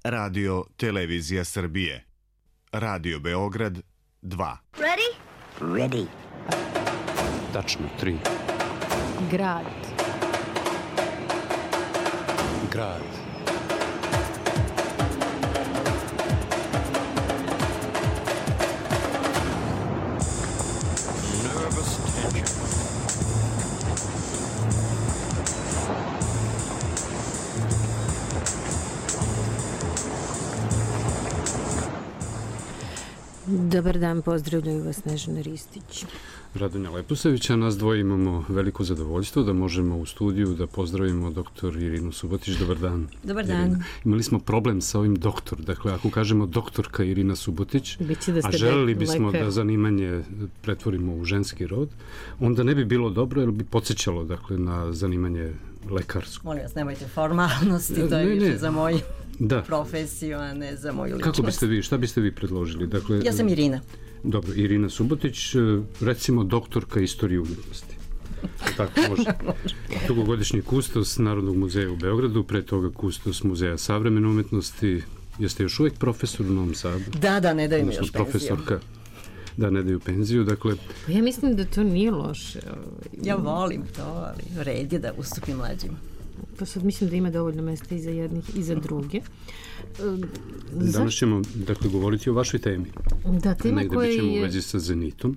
Radio Televizija Srbije. Radio Beograd 2. Ready? Ready. Tačno 3. Grad. Grad. Nervous tension. Dobar dan, pozdravljaju vas Snežana Ristić. Radonja Leposavić, a nas dvoje imamo veliko zadovoljstvo da možemo u studiju da pozdravimo doktor Irinu Subotić. Dobar dan. Dobar dan. Irina. Imali smo problem sa ovim doktor. Dakle, ako kažemo doktorka Irina Subotić, a želeli bismo da zanimanje pretvorimo u ženski rod, onda ne bi bilo dobro jer bi podsjećalo dakle, na zanimanje lekarsko. Molim vas, nemojte formalnosti, to je više za moju profesiju, a ne za moju ličnost. Kako biste vi, šta biste vi predložili? Dakle, ja sam Irina. Dobro, Irina Subotić, recimo doktorka istorije umjetnosti. Tako može. Dugogodišnji kustos Narodnog muzeja u Beogradu, pre toga kustos Muzeja savremene umjetnosti. Jeste još uvijek profesor u Novom Sadu? Da, ne daju mi još profesorka. Da, ne daju penziju, dakle... Pa ja mislim da to nije loše. Ja volim to, ali red je da ustupim mlađima. Pa sad mislim da ima dovoljno mesta i za jednih i za druge. Danas ćemo, dakle, govoriti o vašoj temi. Da, tema negde koja bićemo je... u vezi sa Zenitom.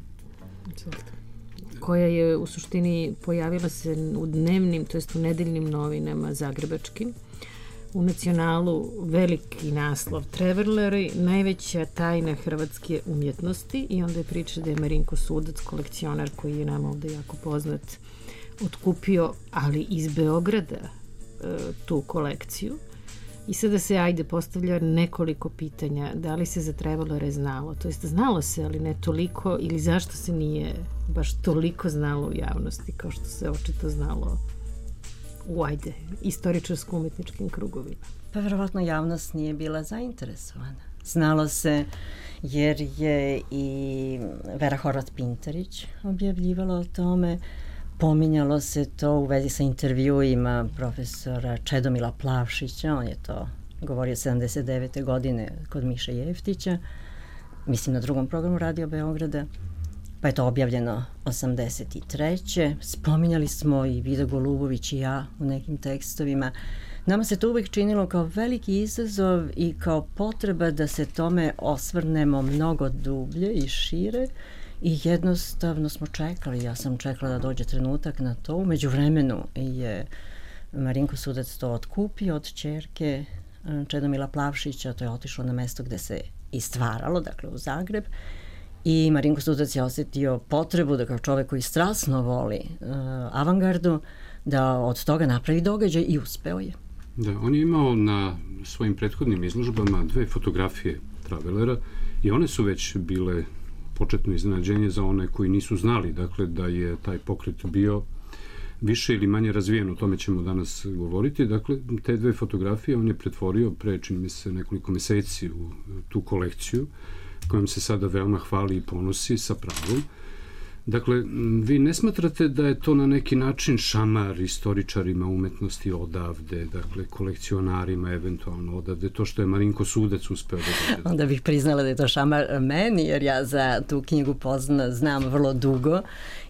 Koja je u suštini pojavila se u dnevnim, to jest u nedeljnim novinama zagrebačkim. U Nacionalu veliki naslov Traveleri, najveća tajna hrvatske umjetnosti, i onda je priča da je Marinko Sudac, kolekcionar koji je nam ovde jako poznat, otkupio, ali iz Beograda, tu kolekciju. I sada se, postavlja nekoliko pitanja. Da li se za Travelere znalo? To jest, znalo se, ali ne toliko, ili zašto se nije baš toliko znalo u javnosti kao što se očito znalo u, istoričarsko-umetničkim krugovima? Pa verovatno javnost nije bila zainteresovana. Znalo se jer je i Vera Horvat-Pintarić objavljivala o tome. Pominjalo se to u vezi sa intervjuima profesora Čedomila Plavšića, on je to govorio 79. godine kod Miše Jeftića, mislim na drugom programu Radio Beograda, pa je to objavljeno 83. Spominjali smo i Vida Golubović i ja u nekim tekstovima. Nama se to uvijek činilo kao veliki izazov i kao potreba da se tome osvrnemo mnogo dublje i šire. I jednostavno smo čekali, ja sam čekala da dođe trenutak na to. U međuvremenu je Marinko Sudac to otkupio od ćerke Čedomila Plavšića, to je otišlo na mesto gde se i stvaralo, dakle u Zagreb. I Marinko Sudac je osjetio potrebu da kao čovek koji strasno voli avangardu, da od toga napravi događaj i uspeo je. Da, on je imao na svojim prethodnim izložbama 2 fotografije Travelera i one su već bile početno iznenađenje za one koji nisu znali, dakle, da je taj pokret bio više ili manje razvijen, o tome ćemo danas govoriti. Dakle, te 2 fotografije on je pretvorio pre, čini mi se, nekoliko meseci u tu kolekciju, kojom se sada veoma hvali i ponosi sa pravom. Dakle, vi ne smatrate da je to na neki način šamar istoričarima umetnosti odavde, dakle, kolekcionarima eventualno odavde, to što je Marinko Sudac uspeo da dođe? Onda bih priznala da je to šamar meni, jer ja za tu knjigu znam vrlo dugo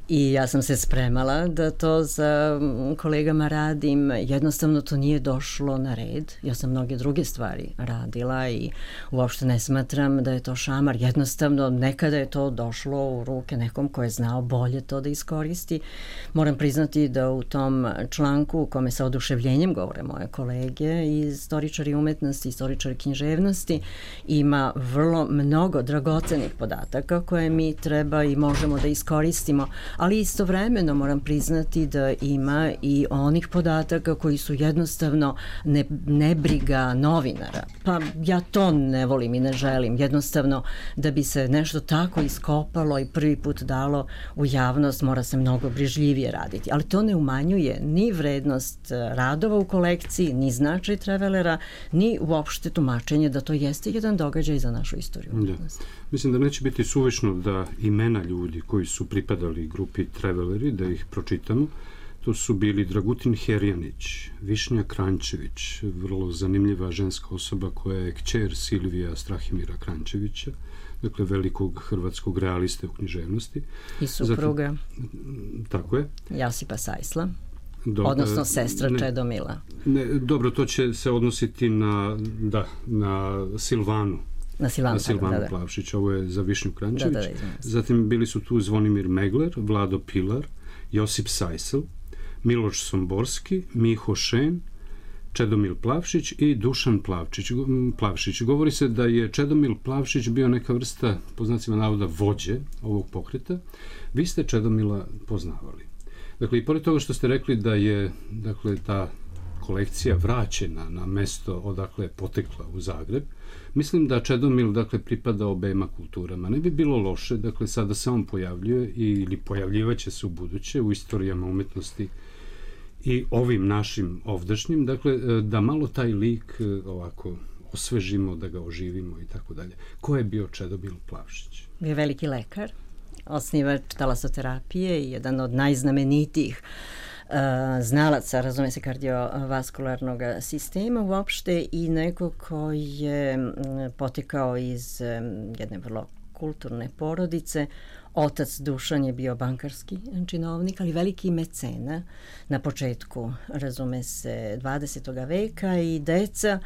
i ja sam se spremala da to za kolegama radim. Jednostavno to nije došlo na red. Ja sam mnoge druge stvari radila i uopšte ne smatram da je to šamar. Jednostavno nekada je to došlo u ruke nekom ko je znao bolje to da iskoristi. Moram priznati da u tom članku u kome sa oduševljenjem govore moje kolege i istoričari umetnosti, istoričari književnosti, ima vrlo mnogo dragocenih podataka koje mi treba i možemo da iskoristimo, ali istovremeno moram priznati da ima i onih podataka koji su jednostavno nebriga novinara. Pa ja to ne volim i ne želim. Jednostavno da bi se nešto tako iskopalo i prvi put dalo u javnost mora se mnogo brižljivije raditi. Ali to ne umanjuje ni vrednost radova u kolekciji, ni značaj Travelera, ni uopšte tumačenje da to jeste jedan događaj za našu istoriju. Da. Mislim da neće biti suvišno da imena ljudi koji su pripadali grupi Traveleri, da ih pročitamo. To su bili Dragutin Herjanić, Višnja Kranjčević, vrlo zanimljiva ženska osoba koja je kćer Silvija Strahimira Kranjčevića, dakle velikog hrvatskog realiste u književnosti. I supruga. Tako je. Josipa Sajsla. Odnosno sestra Čedomila. Dobro, to će se odnositi na Silvanu. Na Silvanu Plavšić, ovo je za Višnju Kranjčević. Zatim bili su tu Zvonimir Megler, Vlado Pilar, Josip Sajsl, Miloš Somborski, Miho Šen, Čedomil Plavšić i Dušan Plavšić. Govori se da je Čedomil Plavšić bio neka vrsta, po znacima navoda, vođe ovog pokreta. Vi ste Čedomila poznavali. Dakle, i pored toga što ste rekli da je ta kolekcija vraćena na mesto odakle je potekla u Zagreb, mislim da Čedomil pripada obema kulturama. Ne bi bilo loše, sada se on pojavljuje ili pojavljivaće se u buduće u istorijama umetnosti i ovim našim ovdašnjim, da malo taj lik ovako osvežimo, da ga oživimo i tako dalje. Ko je bio Čedomil Plavšić? Bio veliki lekar, osnivač talasoterapije i jedan od najznamenitijih znalaca, razume se, kardiovaskularnog sistema uopšte i neko koji je potekao iz jedne vrlo kulturne porodice. Otac Dušan je bio bankarski činovnik, ali veliki mecena na početku, razume se, 20. veka i deca,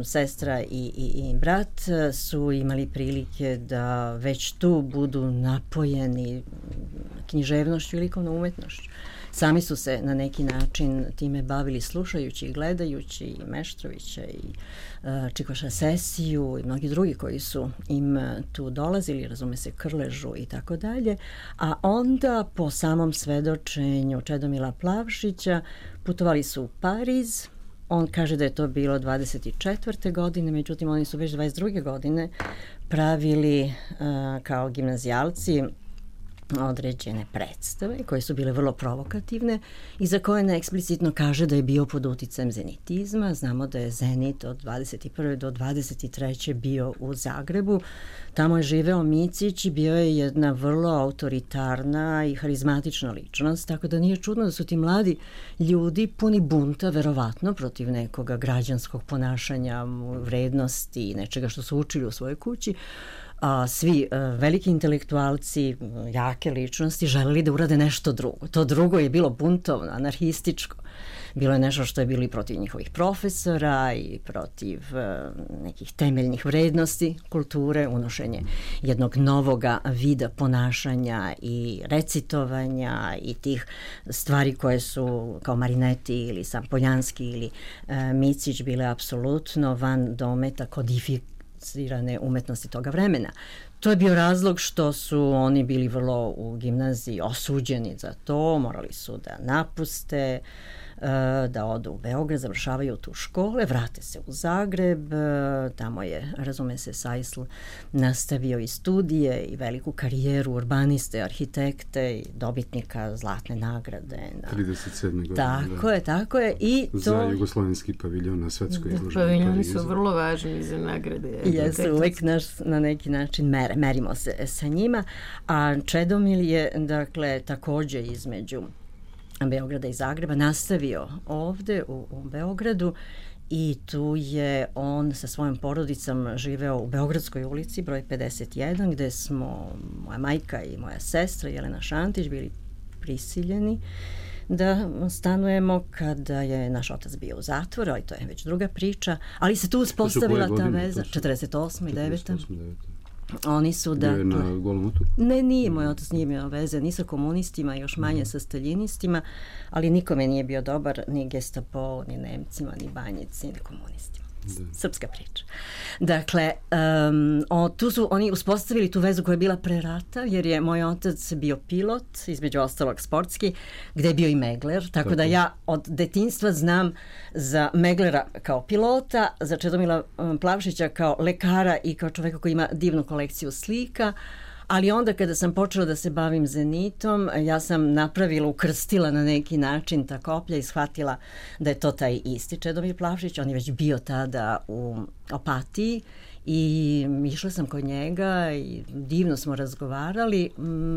sestra i brat su imali prilike da već tu budu napojeni književnošću i likovnom umetnošću. Sami su se na neki način time bavili slušajući i gledajući i Meštrovića i Čikoša Sesiju i mnogi drugi koji su im tu dolazili, razume se, Krležu i tako dalje. A onda po samom svedočenju Čedomila Plavšića putovali su u Pariz. On kaže da je to bilo 24. godine, međutim oni su već 22. godine pravili kao gimnazijalci određene predstave koje su bile vrlo provokativne i za koje ne eksplicitno kaže da je bio pod uticajem zenitizma. Znamo da je Zenit od 21. do 23. bio u Zagrebu. Tamo je živeo Micić i bio je jedna vrlo autoritarna i harizmatična ličnost, tako da nije čudno da su ti mladi ljudi puni bunta, verovatno, protiv nekoga građanskog ponašanja, vrednosti i nečega što su učili u svojoj kući. Svi veliki intelektualci, jake ličnosti želeli da urade nešto drugo. To drugo je bilo buntovno, anarhističko. Bilo je nešto što je bilo i protiv njihovih profesora i protiv nekih temeljnih vrednosti kulture, unošenje jednog novoga vida ponašanja i recitovanja i tih stvari koje su kao Marineti ili Sam Poljanski ili Micić bile apsolutno van dometa kodificirane umetnosti toga vremena. To je bio razlog što su oni bili vrlo u gimnaziji osuđeni za to, morali su da napuste, da odu u Beograd, završavaju tu škole, vrate se u Zagreb, tamo je, razume se, Sajsl nastavio i studije i veliku karijeru urbaniste, arhitekte i dobitnika zlatne nagrade. 37. godine. Tako je. I to... Za jugoslovenski paviljon na svetskoj izložbi. Paviljoni su vrlo važni za nagrade. Jesu, uvek na neki način merimo se sa njima, a Čedomil je, dakle, takođe između Beograda i Zagreba nastavio ovde u Beogradu i tu je on sa svojom porodicom živeo u Beogradskoj ulici broj 51 gde smo moja majka i moja sestra Jelena Šantić bili prisiljeni da stanujemo kada je naš otac bio u zatvoru, ali to je već druga priča, ali se tu uspostavila ta veza 48. i 9. Oni su da... Je na Golom otoku? Ne, nije. Moj otac nije imao veze ni sa komunistima, još manje sa staljinistima, ali nikome nije bio dobar, ni Gestapo, ni Nemcima, ni Banjici, ni komunistima. Srpska priča. Dakle, tu su oni uspostavili tu vezu koja je bila pre rata, jer je moj otac bio pilot, između ostalog sportski, gde je bio i megler, tako da ja od detinjstva znam za meglera kao pilota, za Čedomila Plavšića kao lekara i kao čoveka koji ima divnu kolekciju slika, ali onda kada sam počela da se bavim Zenitom, ja sam napravila, ukrstila na neki način ta koplja i shvatila da je to taj isti Čedomir Plavšić. On je već bio tada u Opatiji i išla sam kod njega i divno smo razgovarali.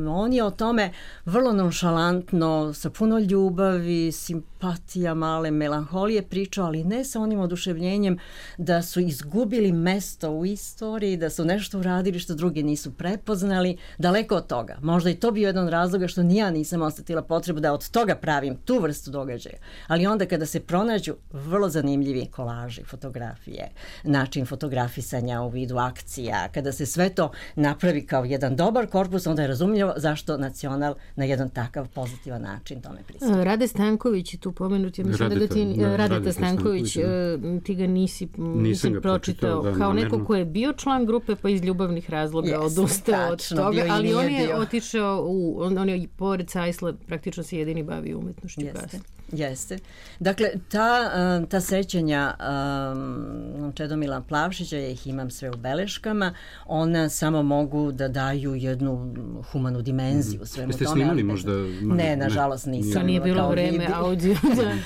On je o tome vrlo nonšalantno, sa puno ljubavi, simpatija, male melanholije pričao, ali ne sa onim oduševljenjem da su izgubili mesto u istoriji, da su nešto uradili što drugi nisu prepoznali. Daleko od toga. Možda i to bio jedan razloga što ni ja nisam osetila potrebu da od toga pravim tu vrstu događaja. Ali onda kada se pronađu vrlo zanimljivi kolaži, fotografije, način fotografisanja u vidu akcija, kada se sve to napravi kao jedan dobar korpus, onda je razumljivo zašto Nacional na jedan takav pozitivan način tome pristupa. Rade Stanković je tu pomenut, ja mislim da ti Radeta Stanković, ti ga nisi pročitao kao neko ko je bio član grupe pa iz ljubavnih razloga odustao od toga, ali on je otišao on je pored Sajsla praktično se jedini bavio umetnošću. Jeste. Dakle, ta sećanja Čedomila Plavšića, ja ih imam sve u beleškama, ona samo mogu da daju jednu humanu dimenziju svemu tome. Jeste snimali možda? Ne, nažalost nisam. To nije bilo vreme audio.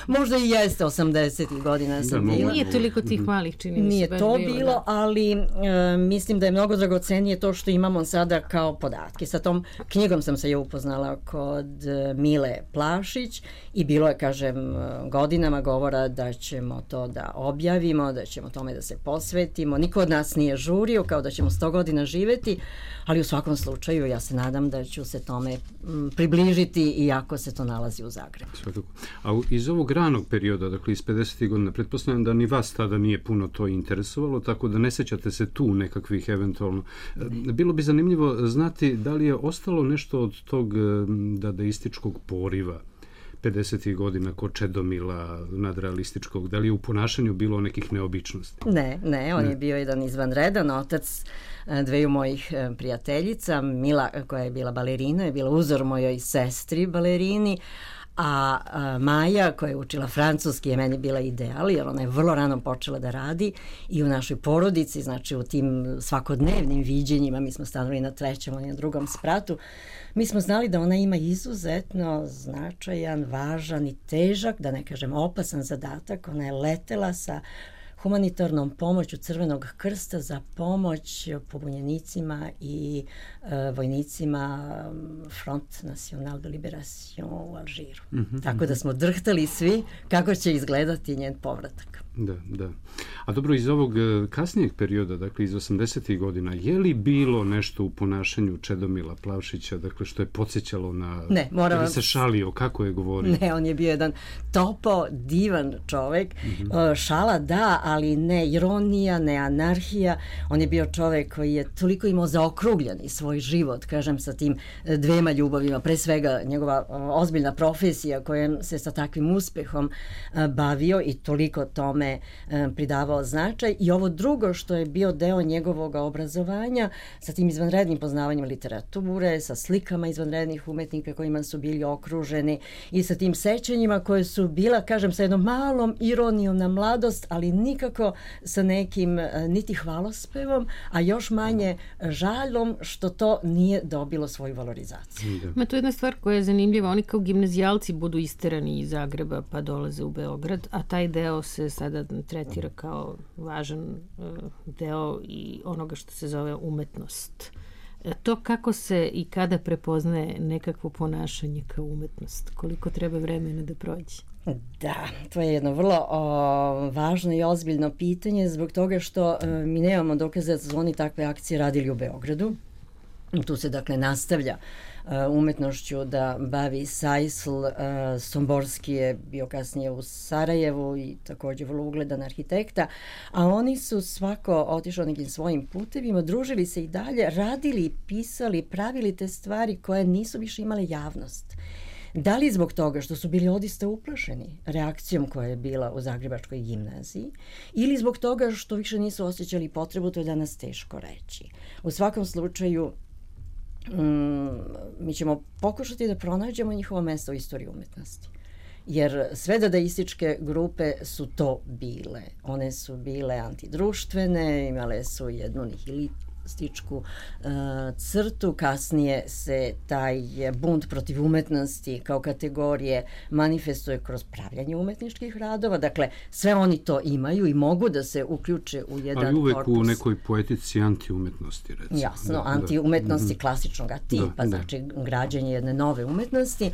Možda i jeste, 80. godina sam bila. Nije toliko tih malih čini. Nije to bilo, ali mislim da je mnogo dragocenije to što imamo sada kao podatke. Sa tom knjigom sam se upoznala kod Mile Plavšić i bilo je, kažem, godinama govora da ćemo to da objavimo, da ćemo tome da se posvetimo. Niko od nas nije žurio kao da ćemo 100 godina živeti, ali u svakom slučaju ja se nadam da ću se tome približiti iako se to nalazi u Zagrebu. Svakako. A iz ovog ranog perioda, dakle iz 50. godina, pretpostavljam da ni vas tada nije puno to interesovalo, tako da ne sećate se tu nekakvih eventualno. Bilo bi zanimljivo znati da li je ostalo nešto od tog dadaističkog poriva 50. godina kod Čedomila nadrealističkog, da li je u ponašanju bilo nekih neobičnosti? Ne, on je bio jedan izvanredan otac dveju mojih prijateljica. Mila, koja je bila balerina, je bila uzor mojoj sestri balerini, a Maja, koja je učila francuski, je meni bila ideal, jer ona je vrlo rano počela da radi i u našoj porodici, znači u tim svakodnevnim viđenjima, mi smo stanovali na 3. i na 2. spratu, mi smo znali da ona ima izuzetno značajan, važan i težak, da ne kažem opasan zadatak. Ona je letela sa humanitarnom pomoću Crvenog krsta za pomoć pobunjenicima i vojnicima Front National de Liberation u Alžiru. Tako da smo drhtali svi kako će izgledati njen povratak. Da. A dobro, iz ovog kasnijeg perioda, dakle iz 80. godina, je li bilo nešto u ponašanju Čedomila Plavšića, dakle što je podsjećalo na... Ne, moram vam... se šalio, kako je govorio? Ne, on je bio jedan topo, divan čovek. Šala da, ali ne ironija, ne anarhija. On je bio čovek koji je toliko imao zaokrugljeni svoj život, kažem, sa tim dvema ljubavima. Pre svega njegova ozbiljna profesija kojom se sa takvim uspehom bavio i toliko tome pridavao značaj, i ovo drugo što je bio deo njegovog obrazovanja sa tim izvanrednim poznavanjem literature, sa slikama izvanrednih umetnika kojima su bili okruženi i sa tim sećanjima koje su bila, kažem, sa jednom malom ironijom na mladost, ali nikako sa nekim niti hvalospevom, a još manje žaljom što to nije dobilo svoju valorizaciju. Ma to je jedna stvar koja je zanimljiva. Oni kao gimnazijalci budu isterani iz Zagreba pa dolaze u Beograd, a taj deo se sada tretira kao važan deo i onoga što se zove umetnost. To kako se i kada prepoznaje nekakvo ponašanje kao umetnost? Koliko treba vremena da prođe? Da, to je jedno vrlo važno i ozbiljno pitanje zbog toga što mi nemamo dokaza da su oni takve akcije radili u Beogradu. Tu se dakle nastavlja umetnošću da bavi Sajsl. Somborski je bio kasnije u Sarajevu i također vrlo ugledan arhitekta, a oni su svako otišao nekim svojim putevima, družili se i dalje, radili, pisali, pravili te stvari koje nisu više imale javnost. Da li zbog toga što su bili odista uplašeni reakcijom koja je bila u Zagrebačkoj gimnaziji ili zbog toga što više nisu osjećali potrebu, to je danas teško reći. U svakom slučaju mi ćemo pokušati da pronađemo njihovo mesto u istoriji umetnosti. Jer sve dadaističke grupe su to bile. One su bile antidruštvene, imale su jednu komunističku crtu. Kasnije se taj bunt protiv umetnosti kao kategorije manifestuje kroz pravljanje umetničkih radova. Dakle, sve oni to imaju i mogu da se uključe u jedan korpus. Ali uvek u nekoj poetici antiumetnosti, recimo. Jasno, antiumetnosti klasičnog tipa, znači građenje jedne nove umetnosti.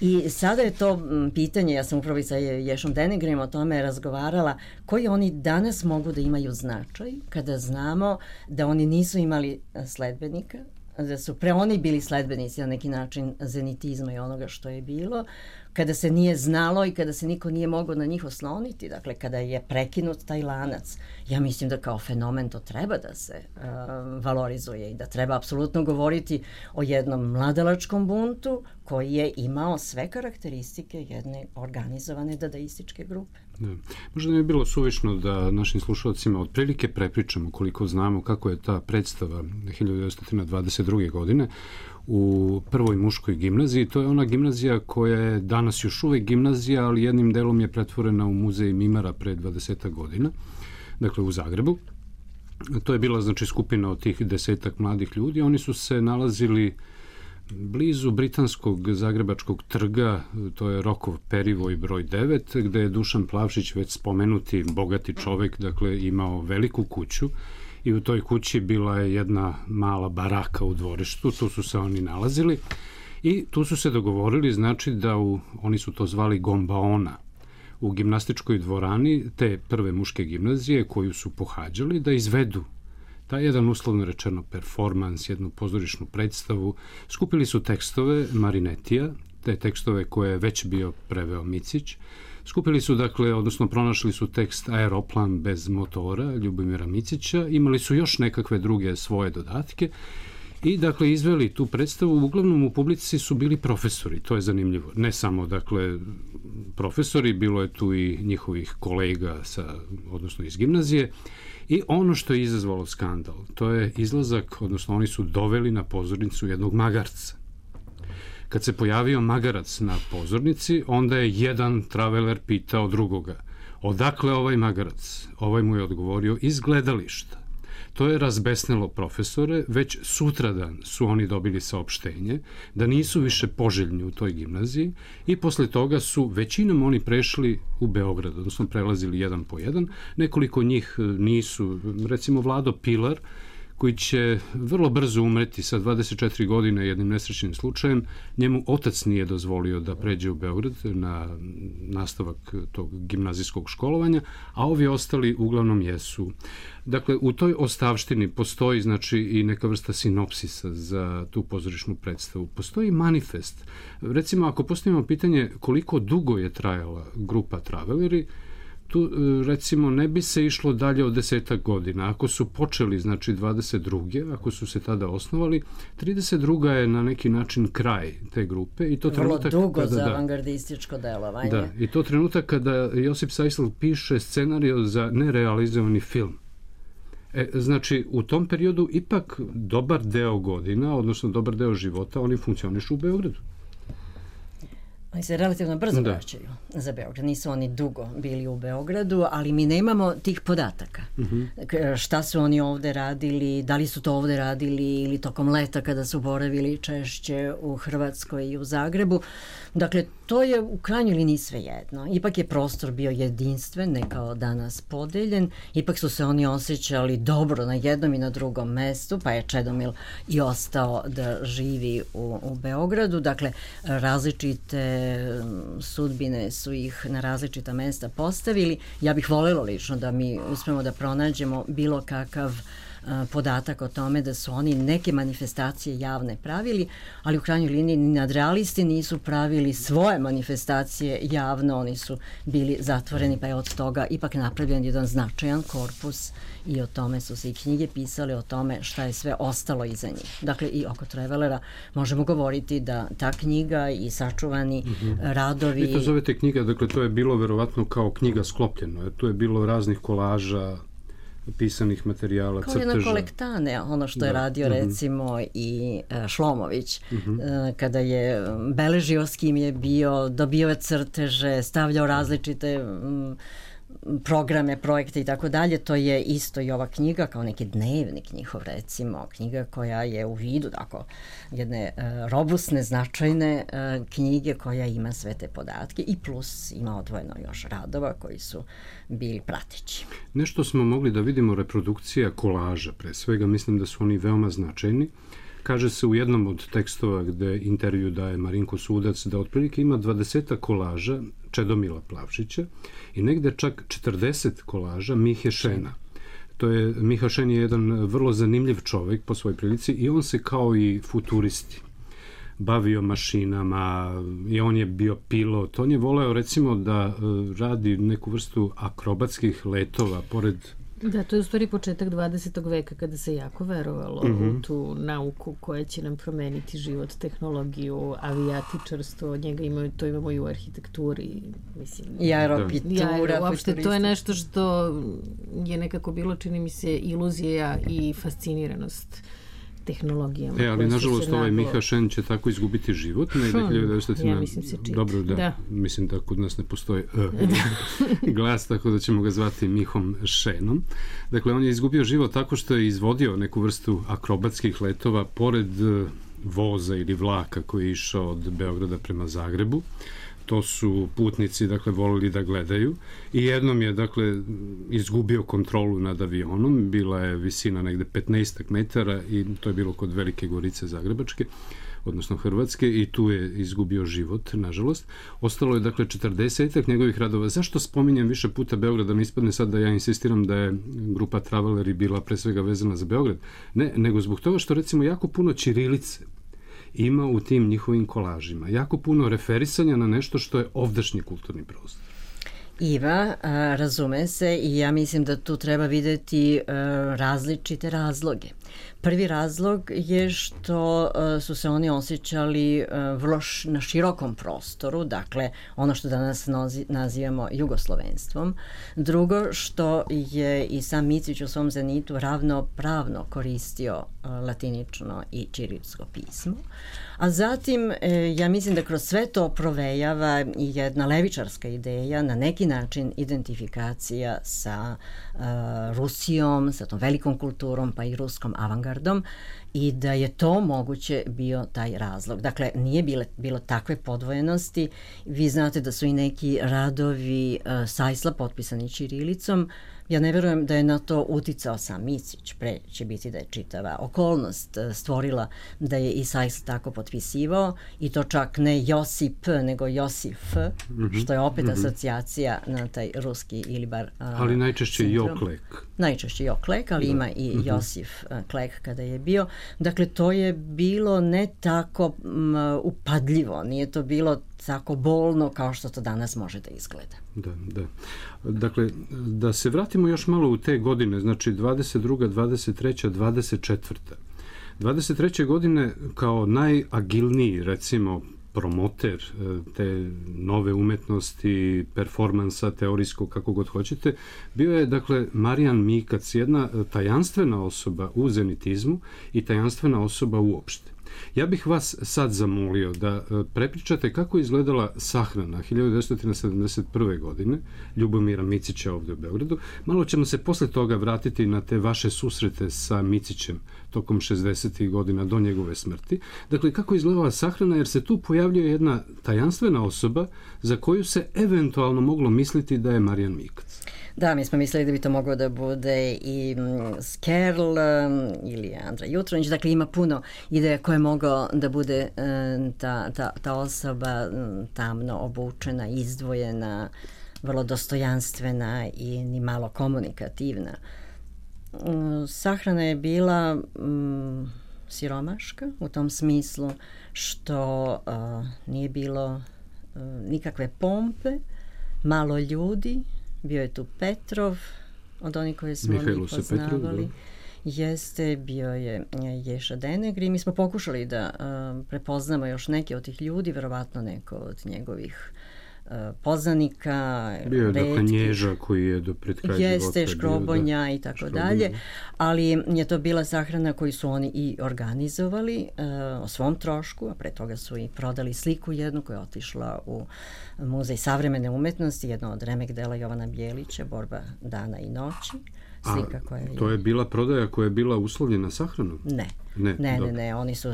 I sada je to pitanje, ja sam upravo i sa Ješom Denegrim o tome razgovarala, koji oni danas mogu da imaju značaj kada znamo da oni nisu imali sledbenika, da su pre oni bili sledbenici na neki način zenitizma i onoga što je bilo, kada se nije znalo i kada se niko nije mogao na njih osloniti, dakle kada je prekinut taj lanac. Ja mislim da kao fenomen to treba da se valorizuje i da treba apsolutno govoriti o jednom mladalačkom buntu koji je imao sve karakteristike jedne organizovane dadaističke grupe. Da. Možda ne bi bilo suvišno da našim slušalcima otprilike prepričamo koliko znamo kako je ta predstava 1922. godine u prvoj muškoj gimnaziji. To je ona gimnazija koja je danas još uvek gimnazija, ali jednim delom je pretvorena u muzej Mimara pre 20 godina, dakle u Zagrebu. To je bila znači skupina od tih 10 mladih ljudi. Oni su se nalazili blizu britanskog zagrebačkog trga, to je Rokov Perivoj broj 9, gde je Dušan Plavšić, već spomenuti bogati čovek, dakle imao veliku kuću i u toj kući bila je jedna mala baraka u dvorištu, tu su se oni nalazili i tu su se dogovorili, znači da oni su to zvali gombaona, u gimnastičkoj dvorani te prve muške gimnazije koju su pohađali da izvedu taj jedan uslovno rečeno performans, jednu pozorišnu predstavu. Skupili su tekstove Marinetija, te tekstove koje je već bio preveo Micić. Skupili su, dakle, odnosno pronašli su tekst Aeroplan bez motora Ljubomira Micića, imali su još nekakve druge svoje dodatke i, dakle, izveli tu predstavu. Uglavnom u publici su bili profesori, to je zanimljivo. Ne samo, dakle, profesori, bilo je tu i njihovih kolega odnosno iz gimnazije. I ono što je izazvalo skandal, to je izlazak, odnosno oni su doveli na pozornicu jednog magarca. Kad se pojavio magarac na pozornici, onda je jedan traveler pitao drugoga, odakle ovaj magarac? Ovaj mu je odgovorio, iz gledališta. To je razbesnelo profesore, već sutradan su oni dobili saopštenje da nisu više poželjni u toj gimnaziji i posle toga su većinom oni prešli u Beograd, odnosno prelazili jedan po jedan. Nekoliko njih nisu, recimo Vlado Pilar, koji će vrlo brzo umreti sa 24 godine jednim nesrećnim slučajem. Njemu otac nije dozvolio da pređe u Beograd na nastavak tog gimnazijskog školovanja, a ovi ostali uglavnom jesu. Dakle, u toj ostavštini postoji znači i neka vrsta sinopsisa za tu pozorišnu predstavu. Postoji manifest. Recimo, ako postavimo pitanje koliko dugo je trajala grupa Traveleri, tu recimo ne bi se išlo dalje od 10 godina. Ako su počeli, znači 22. ako su se tada osnovali, 32. je na neki način kraj te grupe. I to vrlo dugo za avangardističko delovanje. Da, i to trenutak kada Josip Sajsel piše scenariju za nerealizovani film. Znači, u tom periodu ipak dobar deo godina, odnosno dobar deo života, oni funkcionišu u Beogradu. Oni se relativno brzo vraćaju za Beograd. Nisu oni dugo bili u Beogradu, ali mi nemamo tih podataka. Šta su oni ovde radili, da li su to ovde radili ili tokom leta kada su boravili češće u Hrvatskoj i u Zagrebu. Dakle, to je u krajnjoj liniji svejedno. Ipak je prostor bio jedinstven, ne kao danas podeljen. Ipak su se oni osjećali dobro na jednom i na drugom mestu, pa je Čedomil i ostao da živi u Beogradu. Dakle, različite sudbine su ih na različita mesta postavili. Ja bih voljela lično da mi uspemo da pronađemo bilo kakav podatak o tome da su oni neke manifestacije javne pravili, ali u krajnjoj liniji nadrealisti nisu pravili svoje manifestacije javno, oni su bili zatvoreni, pa je od toga ipak napravljen jedan značajan korpus i o tome su se i knjige pisale, o tome šta je sve ostalo iza njih. Dakle, i oko Travelera možemo govoriti da ta knjiga i sačuvani radovi... Vi to zovete knjiga, dakle to je bilo verovatno kao knjiga sklopljeno, jer tu je bilo raznih kolaža, pisanih materijala, crteža. Kao jedna kolektane, ono što je radio recimo i Šlomović, kada je beležio s kim je bio, dobio je crteže, stavljao različite programe, projekte i tako dalje, to je isto i ova knjiga kao neki dnevnik njihov, recimo, knjiga koja je u vidu tako jedne robustne, značajne knjige koja ima sve te podatke i plus ima odvojeno još radova koji su bili prateći. Nešto smo mogli da vidimo reprodukcija kolaža, pre svega mislim da su oni veoma značajni. Kaže se u jednom od tekstova gde intervju daje Marinko Sudac da otprilike ima 20 kolaža Čedomila Plavšića i negde čak 40 kolaža Mihe Šena. Miha Šen je jedan vrlo zanimljiv čovek po svojoj prilici i on se kao i futuristi bavio mašinama i on je bio pilot. On je voleo recimo da radi neku vrstu akrobatskih letova pored... Da, to je u stvari početak 20. veka kada se jako verovalo u tu nauku koja će nam promeniti život, tehnologiju, avijatičarstvo, to imamo i u arhitekturi, mislim. I aeropitura. Uopšte to je nešto što je nekako bilo, čini mi se, iluzija i fasciniranost tehnologijama. Ali nažalost ovaj Miha Šen će tako izgubiti život. Ja mislim se čita. Dobro, da. Mislim da kod nas ne postoji glas, tako da ćemo ga zvati Mihom Šenom. Dakle, on je izgubio život tako što je izvodio neku vrstu akrobatskih letova pored voza ili vlaka koji je išao od Beograda prema Zagrebu. To su putnici, dakle, volili da gledaju i jednom je, dakle, izgubio kontrolu nad avionom, bila je visina negde 15 metara i to je bilo kod Velike Gorice Zagrebačke, odnosno Hrvatske, i tu je izgubio život, nažalost. Ostalo je, dakle, 40 njegovih radova. Zašto spominjem više puta Beograd, da ne ispadne sad da ja insistiram da je grupa Traveleri bila pre svega vezana za Beograd? Ne, nego zbog toga što, recimo, jako puno ćirilice ima u tim njihovim kolažima. Jako puno referisanja na nešto što je ovdašnji kulturni prostor. Iva, razume se i ja mislim da tu treba videti različite razloge. Prvi razlog je što su se oni osjećali vrlo na širokom prostoru, dakle ono što danas nazivamo jugoslovenstvom. Drugo, što je i sam Micić u svom zenitu ravnopravno koristio latinično i ćirilsko pismo. A zatim, ja mislim da kroz sve to provejava i jedna levičarska ideja, na neki način identifikacija sa Rusijom, sa tom velikom kulturom, pa i ruskom avangardom, i da je to moguće bio taj razlog. Dakle, nije bilo takve podvojenosti. Vi znate da su i neki radovi Sajsla potpisani ćirilicom. Ja ne verujem da je na to uticao sam Micić, pre će biti da je čitava okolnost stvorila da je i Sajsl tako potpisivao, i to čak ne Josip, nego Josif, što je opet asocijacija na taj ruski ili bar ali najčešće Joklek. Najčešće Joklek, ali ima i Josif Klek kada je bio. Dakle, to je bilo ne tako upadljivo, nije to bilo tako bolno kao što to danas može da izgleda. Da. Dakle, da se vratimo još malo u te godine, znači 22., 23., 24. 23. godine kao najagilniji, recimo, promoter te nove umetnosti, performansa, teorijskog, kako god hoćete, bio je, dakle, Marijan Mikac, jedna tajanstvena osoba u zenitizmu i tajanstvena osoba uopšte. Ja bih vas sad zamolio da prepričate kako je izgledala sahrana 1971. godine Ljubomira Micića ovde u Beogradu. Malo ćemo se posle toga vratiti na te vaše susrete sa Micićem tokom 60. godina do njegove smrti. Dakle, kako je izgledala sahrana, jer se tu pojavljuje jedna tajanstvena osoba za koju se eventualno moglo misliti da je Marijan Mikac. Da, mi smo mislili da bi to moglo da bude i Skerl ili Andra Jutronić. Dakle, ima puno ideja koje je mogao da bude ta osoba tamno obučena, izdvojena, vrlo dostojanstvena i ni malo komunikativna. Sahrana je bila siromaška u tom smislu što nije bilo nikakve pompe, malo ljudi. Bio je tu Petrov, od onih koje smo mi poznavali. Jeste, bio je Ješa Denegri. Mi smo pokušali da prepoznamo još neke od tih ljudi, verovatno neko od njegovih poznanika. Bio je dakle Nježa koji je do pred kraja života. Jeste, Škrobonja i tako dalje, ali je to bila sahrana koju su oni i organizovali o svom trošku, a pre toga su i prodali sliku jednu koja je otišla u Muzej savremene umetnosti, jedno od remek dela Jovana Bjelića, Borba dana i noći. Slika koja je... To je bila prodaja koja je bila uslovljena sahranom? Ne, oni su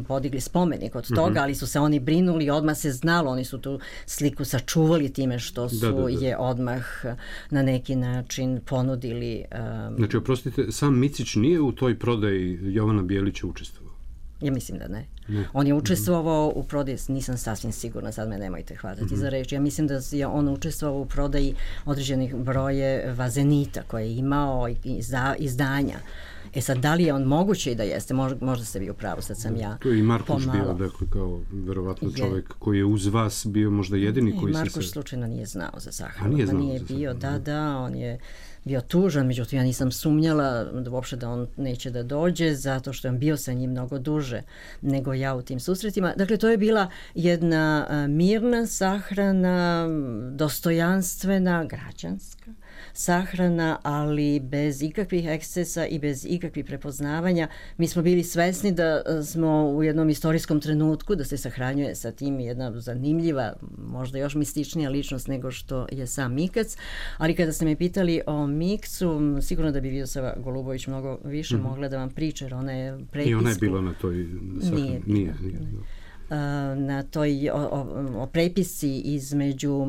podigli spomenik od toga, ali su se oni brinuli, odmah se znalo, oni su tu sliku sačuvali time što su je odmah na neki način ponudili. Znači, oprostite, sam Micić nije u toj prodaji Jovana Bjelića učestvovao? Ja mislim da ne. On je učestvovao u prodaji, nisam sasvim sigurna, sad me nemojte hvatati za reč. Ja mislim da je on učestvovao u prodaji određenih brojeva Zenita koje je imao izdanja. Sad, da li je on moguće i da jeste? Možda ste vi u pravu, sad sam ja to je i Markuš bio, dakle, kao verovatno čovjek koji je uz vas bio možda jedini koji se... Markuš slučajno nije znao za sahranu. Nije bio, on je bio tužan, međutim ja nisam sumnjala uopšte da on neće da dođe, zato što je bio sa njim mnogo duže nego ja u tim susretima. Dakle, to je bila jedna mirna sahrana, dostojanstvena, građanska sahrana, ali bez ikakvih ekscesa i bez ikakvih prepoznavanja. Mi smo bili svesni da smo u jednom istorijskom trenutku, da se sahranjuje sa tim jedna zanimljiva, možda još mističnija ličnost nego što je sam Mikac, ali kada ste me pitali o Mikcu, sigurno da bi Vidosava Golubović mnogo više mogla da vam priča, jer ona je prepisku... I ona je bila na toj sahrani? Nije. Na toj o prepisci između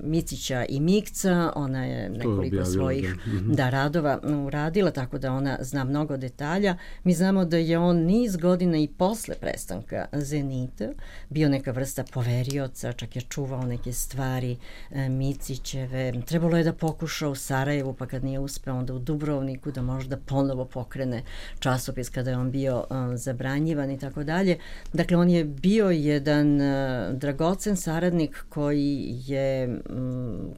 Micića i Mikca, ona je nekoliko svojih radova uradila, tako da ona zna mnogo detalja. Mi znamo da je on niz godina i posle prestanka Zenita bio neka vrsta poverioca, čak je čuvao neke stvari Micićeve. Trebalo je da pokuša u Sarajevu, pa kad nije uspeo, onda u Dubrovniku da možda ponovo pokrene časopis kada je on bio zabranjivan i tako dalje. Dakle, on je bio jedan dragocen saradnik koji je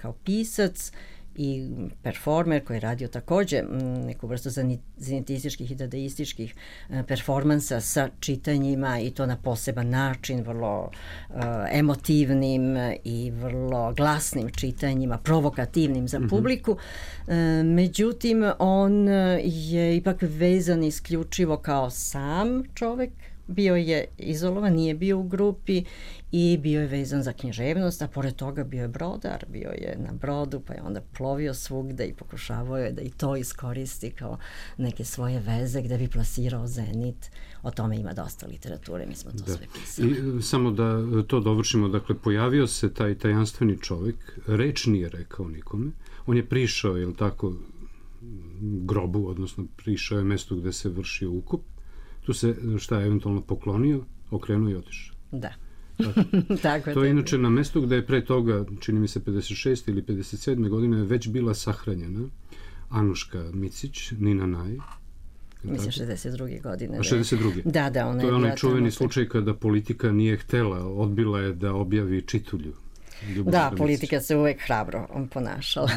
kao pisac i performer koji je radio takođe neku vrstu zenitističkih i dadaističkih performansa sa čitanjima i to na poseban način, vrlo emotivnim i vrlo glasnim čitanjima, provokativnim za publiku. Međutim, on je ipak vezan isključivo kao sam čovek, bio je izolovan, nije bio u grupi i bio je vezan za književnost, a pored toga bio je brodar, bio je na brodu, pa je onda plovio svugde i pokušavao je da i to iskoristi kao neke svoje veze gde bi plasirao Zenit. O tome ima dosta literature, mi smo to sve pisali. I samo da to dovršimo, dakle, pojavio se taj tajanstveni čovjek, reč nije rekao nikome, on je prišao, je li tako, grobu, odnosno prišao je mestu gde se vršio ukop. Tu se, šta je eventualno poklonio, okrenuo i otišao. Da. Tako je. To je inače na mestu gde je pre toga, čini mi se 56. ili 57. godine, već bila sahranjena Anuška Micić, Nina Naj. Mislim 62. godine. A 62. Da, ona je. To je onaj čuveni slučaj kada politika nije htela, odbila je da objavi čitulju. Da, politika se uvek hrabro ponašala.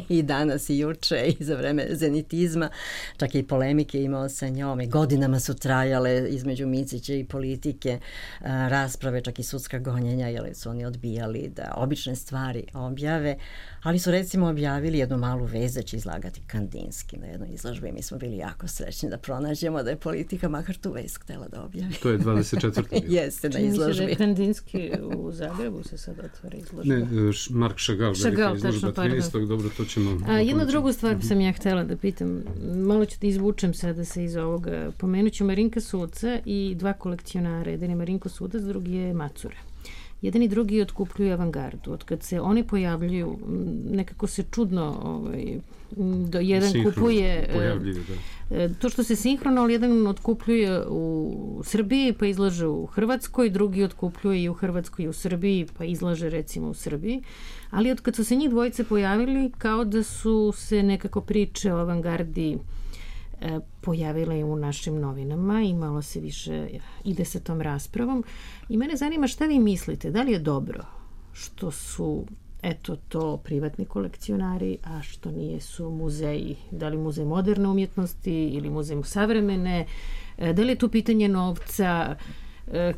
I danas i juče i za vreme zenitizma, čak i polemike imao sa njom i godinama su trajale između Micića i politike rasprave, čak i sudska gonjenja, jer su oni odbijali da obične stvari objave, ali su recimo objavili jednu malu vest da će izlagati Kandinski na jednoj izložbi i mi smo bili jako srećni da pronađemo da je politika makar tu vest htela da objavi. To je 24. Jeste, na izložbi. Čini se da je Kandinski u Zagrebu se sad otvara izložba. Ne, Mark Chagall, velika izložba 13. Dobro, to ćemo... Jednu drugu stvar sam ja htjela da pitam, malo ću da izvučem sada se iz ovoga. Pomenut ću Marinka Suca i dva kolekcionara, jedan je Marinko Sudac, drugi je Macura. Jedan i drugi otkupljuju avangardu. Od kad se oni pojavljuju, nekako se čudno jedan kupuje to što se sinhrono, ali jedan otkupljuje u Srbiji pa izlaže u Hrvatskoj, drugi otkupljuje i u Hrvatskoj i u Srbiji pa izlaže recimo u Srbiji, ali od kad su se njih dvojice pojavili kao da su se nekako priče o avangardi pojavila je u našim novinama i malo se više ide sa tom raspravom i mene zanima šta vi mislite, da li je dobro što su to privatni kolekcionari, a što nije su muzeji, da li muzej moderne umjetnosti ili muzej savremene, da li je tu pitanje novca,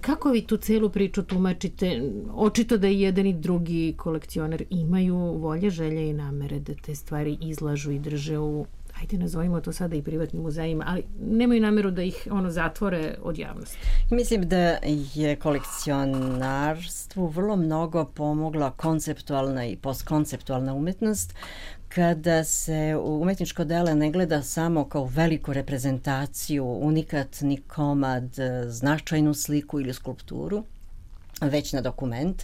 Kako vi tu celu priču tumačite? Očito da i jedan i drugi kolekcionar imaju volje, želje i namere da te stvari izlažu i drže u, ajde nazovimo to sada i privatnim muzejima, ali nemaju nameru da ih zatvore od javnosti. Mislim da je kolekcionarstvu vrlo mnogo pomogla konceptualna i postkonceptualna umetnost, kada se umetničko delo ne gleda samo kao veliku reprezentaciju, unikatni komad, značajnu sliku ili skulpturu, već na dokument,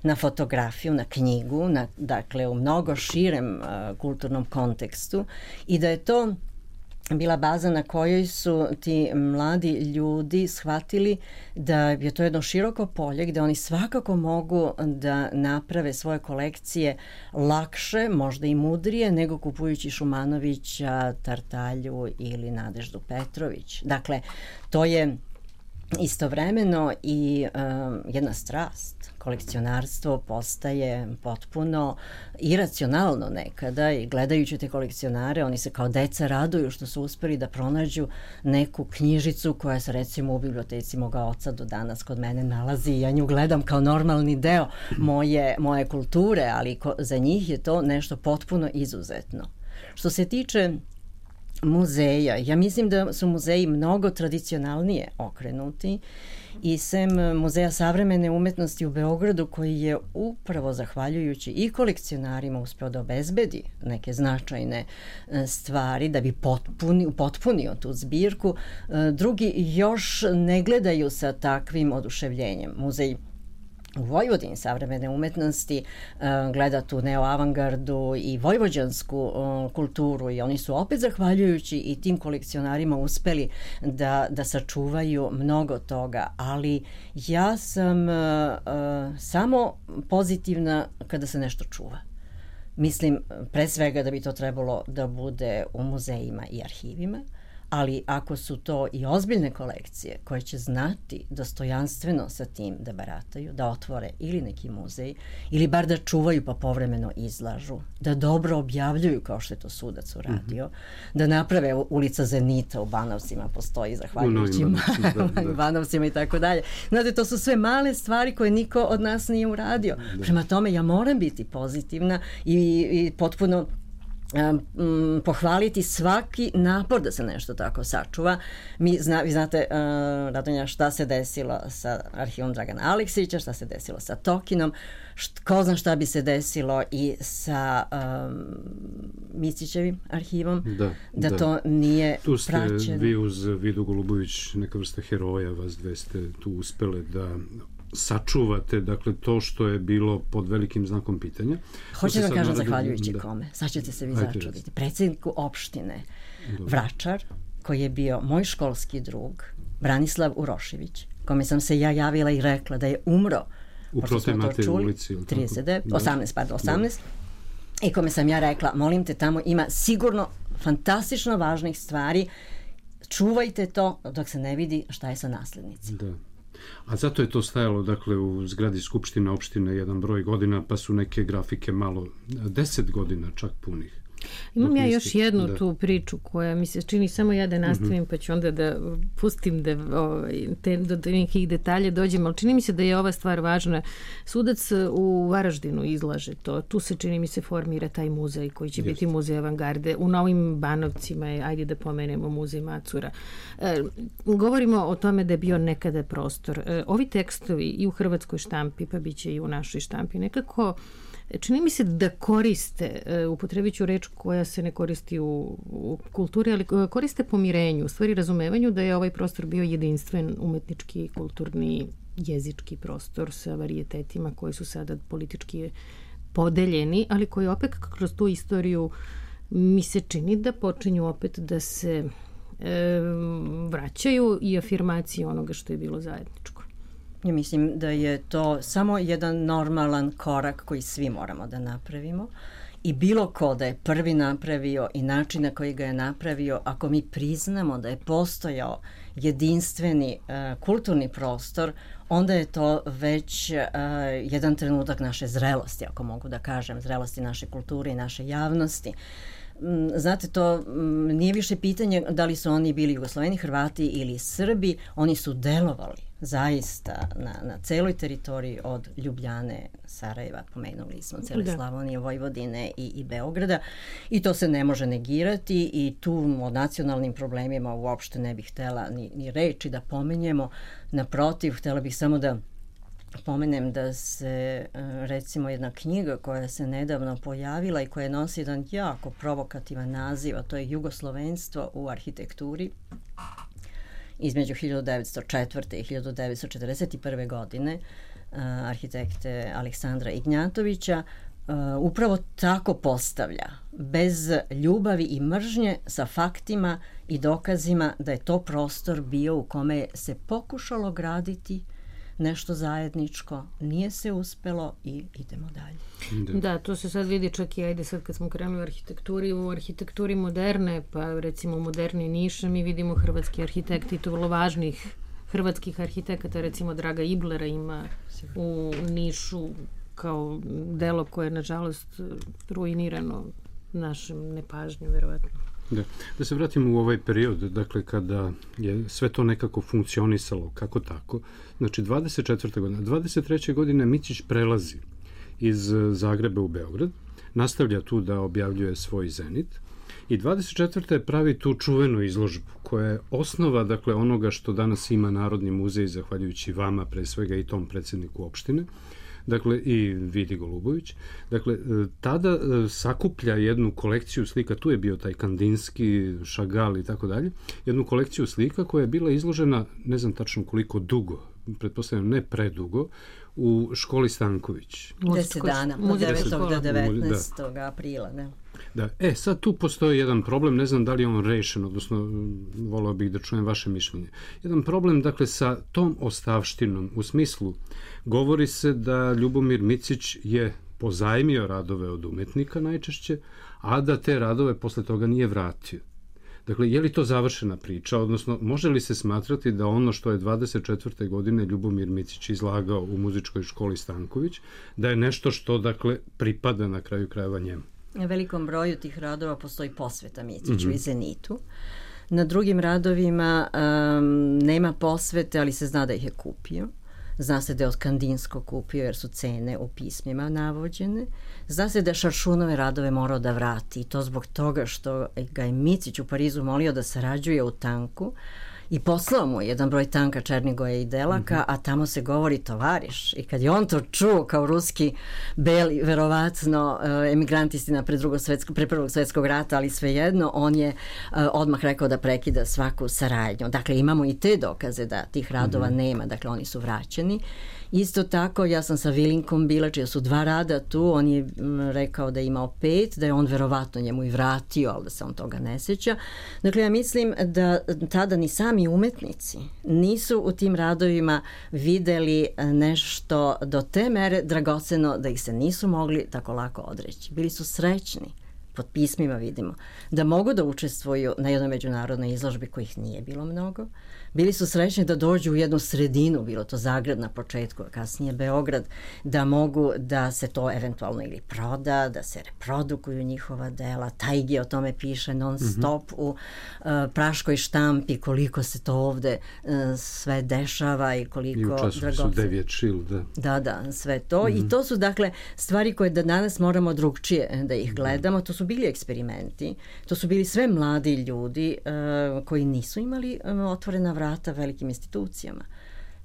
na fotografiju, na knjigu, dakle u mnogo širem kulturnom kontekstu, i da je to bila baza na kojoj su ti mladi ljudi shvatili da je to jedno široko polje gde oni svakako mogu da naprave svoje kolekcije lakše, možda i mudrije, nego kupujući Šumanovića, Tartalju ili Nadeždu Petrović. Dakle, to je istovremeno i jedna strast. Kolekcionarstvo postaje potpuno iracionalno nekada i gledajući te kolekcionare, oni se kao deca raduju što su uspeli da pronađu neku knjižicu koja se recimo u biblioteci moga oca do danas kod mene nalazi i ja nju gledam kao normalni deo moje kulture, ali za njih je to nešto potpuno izuzetno. Što se tiče muzeja, ja mislim da su muzeji mnogo tradicionalnije okrenuti i sem Muzeja savremene umetnosti u Beogradu, koji je upravo zahvaljujući i kolekcionarima uspeo da obezbedi neke značajne stvari da bi potpunio tu zbirku, drugi još ne gledaju sa takvim oduševljenjem. Muzej u Vojvodini savremene umetnosti gleda tu neoavangardu i vojvođansku kulturu i oni su opet zahvaljujući i tim kolekcionarima uspeli da sačuvaju mnogo toga, ali ja sam samo pozitivna kada se nešto čuva. Mislim pre svega da bi to trebalo da bude u muzejima i arhivima, ali ako su to i ozbiljne kolekcije koje će znati dostojanstveno sa tim da barataju, da otvore ili neki muzej, ili bar da čuvaju pa povremeno izlažu, da dobro objavljuju kao što je to Sudac uradio, da naprave ulica Zenita u Banovcima, postoji zahvaljujući Banovcima i tako dalje. Znate, to su sve male stvari koje niko od nas nije uradio. Prema tome, ja moram biti pozitivna i potpuno pohvaliti svaki napor da se nešto tako sačuva. Vi znate, Radonja, šta se desilo sa arhivom Dragana Aleksića, šta se desilo sa Tokinom, ko zna šta bi se desilo i sa Micićevim arhivom, da to nije praćeno. Tu ste vi uz Vidu Golubović, neka vrsta heroja, vas dve ste tu uspele da sačuvate, dakle, to što je bilo pod velikim znakom pitanja. Hoću da kažem zahvaljujući kome. Sad ćete se vi začuditi. Predsjedniku opštine Vračar, koji je bio moj školski drug, Branislav Urošević, kome sam se ja javila i rekla da je umro u Protemate ulici 18, i kome sam ja rekla, molim te, tamo ima sigurno fantastično važnih stvari, čuvajte to dok se ne vidi šta je sa naslednicima. Da. A zato je to stajalo, dakle, u zgradi Skupštine opštine jedan broj godina, pa su neke grafike malo 10 godina čak punih. Imam ja još jednu tu priču koja mi se čini, samo ja da nastavim, pa ću onda da pustim do nekih detalja dođem, ali čini mi se da je ova stvar važna. Sudac u Varaždinu izlaže to. Tu se, čini mi se, formira taj muzej koji će biti muzej avangarde. U Novim Banovcima je, ajde da pomenemo, muzej Macura. Govorimo o tome da je bio nekada prostor. Ovi tekstovi i u hrvatskoj štampi, pa bit će i u našoj štampi, nekako čini mi se da koriste, upotrebit ću reč koja se ne koristi u kulturi, ali koriste pomirenju, u stvari razumevanju da je ovaj prostor bio jedinstven umetnički, kulturni, jezički prostor sa varijetetima koji su sada politički podeljeni, ali koji opet kroz tu istoriju mi se čini da počinju opet da se vraćaju i afirmacije onoga što je bilo zajedničko. Ja mislim da je to samo jedan normalan korak koji svi moramo da napravimo i bilo ko da je prvi napravio i način na koji ga je napravio, ako mi priznamo da je postojao jedinstveni kulturni prostor, onda je to već jedan trenutak naše zrelosti, ako mogu da kažem, zrelosti naše kulture i naše javnosti. znate, to nije više pitanje da li su oni bili Jugosloveni, Hrvati ili Srbi, oni su delovali zaista na celoj teritoriji od Ljubljane, Sarajeva, pomenuli smo, cele Slavonije, Vojvodine i Beograda, i to se ne može negirati, i tu o nacionalnim problemima uopšte ne bih htela ni reči da pomenjemo. Naprotiv, htela bih samo da pomenem da se recimo jedna knjiga koja se nedavno pojavila i koja nosi jedan jako provokativan naziv, a to je Jugoslovenstvo u arhitekturi, između 1904. i 1941. godine arhitekte Aleksandra Ignjatovića, upravo tako postavlja, bez ljubavi i mržnje, sa faktima i dokazima da je to prostor bio u kome se pokušalo graditi nešto zajedničko, nije se uspelo i idemo dalje. Da, to se sad vidi čak i, ajde sad kad smo krenuli u arhitekturi moderne, pa recimo moderni Niša, mi vidimo hrvatski arhitekti, to vrlo važnih hrvatskih arhitekata, recimo Draga Iblera ima u Nišu kao delo koje je nažalost ruinirano našem nepažnju, verovatno. Da se vratimo u ovaj period, dakle kada je sve to nekako funkcionisalo kako tako, znači 24. godine, 23. godine Micić prelazi iz Zagreba u Beograd, nastavlja tu da objavljuje svoj Zenit i 24. pravi tu čuvenu izložbu koja je osnova, dakle, onoga što danas ima Narodni muzej, zahvaljujući vama pre svega i tom predsjedniku opštine, dakle i Vidi Golubović. Dakle, tada sakuplja jednu kolekciju slika, tu je bio taj Kandinski, Šagal i tako dalje, jednu kolekciju slika koja je bila izložena, ne znam tačno koliko dugo, pretpostavljam ne predugo, u školi Stanković. 10 dana, od 9. do 19. aprila, ne? Da, sad tu postoji jedan problem, ne znam da li je on rešen, odnosno voleo bih da čujem vaše mišljenje. Jedan problem, dakle, sa tom ostavštinom, u smislu, govori se da Ljubomir Micić je pozajmio radove od umetnika najčešće, a da te radove posle toga nije vratio. Dakle, je li to završena priča, odnosno može li se smatrati da ono što je 24. godine Ljubomir Micić izlagao u muzičkoj školi Stanković, da je nešto što, dakle, pripada na kraju krajeva njemu? Na velikom broju tih radova postoji posveta Miciću i Zenitu. Na drugim radovima nema posvete, ali se zna da ih je kupio. Zna se da je od Kandinskog kupio jer su cene u pismima navođene. Zna se da je Šaršunove radove morao da vrati i to zbog toga što ga je Micić u Parizu molio da sarađuje u tanku i poslao mu jedan broj tanka Černigoja i Delaka, a tamo se govori tovariš. I kad je on to čuo kao ruski beli, verovatno emigrantistina pre Prvog svjetskog rata, ali svejedno, on je odmah rekao da prekida svaku saradnju. Dakle, imamo i te dokaze da tih radova nema, dakle, oni su vraćeni. Isto tako, ja sam sa Vilinkom bila, čija su 2 rada tu, on je rekao da je imao 5, da je on verovatno njemu i vratio, ali da se on toga ne sjeća. Dakle, ja mislim da tada ni sami umetnici nisu u tim radovima videli nešto do te mere dragoceno da ih se nisu mogli tako lako odreći. Bili su srećni, pod pismima vidimo, da mogu da učestvuju na jednoj međunarodnoj izložbi kojih nije bilo mnogo. Bili su srećni da dođu u jednu sredinu, bilo to Zagreb na početku, a kasnije Beograd, da mogu da se to eventualno ili proda, da se reprodukuju njihova dela. Tajgi o tome piše non stop u praškoj štampi, koliko se to ovde sve dešava i koliko dragoceno. I u časopisu Deviat Shield, da. Da, sve to. I to su, dakle, stvari koje da danas moramo drugčije da ih gledamo. To su bili eksperimenti, to su bili sve mladi ljudi koji nisu imali otvorena vrata velikim institucijama.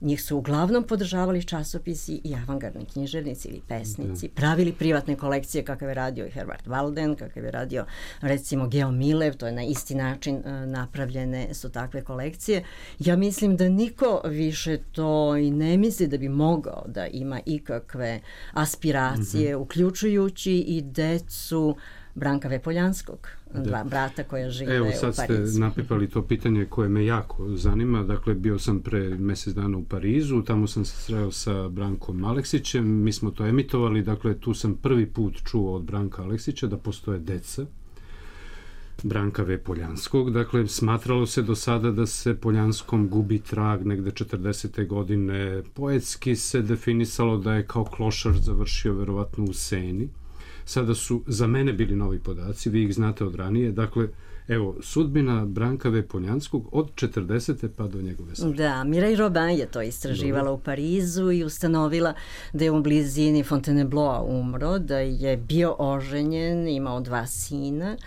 Njih su uglavnom podržavali časopisi i avangardni književnici ili pesnici, pravili privatne kolekcije kakav je radio i Herbert Walden, kakav je radio recimo Geo Milev, to je na isti način napravljene su takve kolekcije. Ja mislim da niko više to i ne misli da bi mogao da ima ikakve aspiracije, uključujući i decu Branka Vepoljanskog, brata koja žive u Parizu. Evo sad ste napipali to pitanje koje me jako zanima. Dakle, bio sam pre mjesec dana u Parizu, tamo sam se sreo sa Brankom Aleksićem, mi smo to emitovali, dakle tu sam prvi put čuo od Branka Aleksića da postoje deca Branka V. Poljanskog. Dakle, smatralo se do sada da se Poljanskom gubi trag negde 40. godine. Poetski se definisalo da je kao klošar završio verovatno u Seni. sada su za mene bili novi podaci, vi ih znate od ranije, dakle, evo, sudbina Branka V. Poljanskog od 40. pa do njegove smrti. Da, Mireille Robin je to istraživala u Parizu i ustanovila da je u blizini Fontainebleau umro, da je bio oženjen, imao 2 sina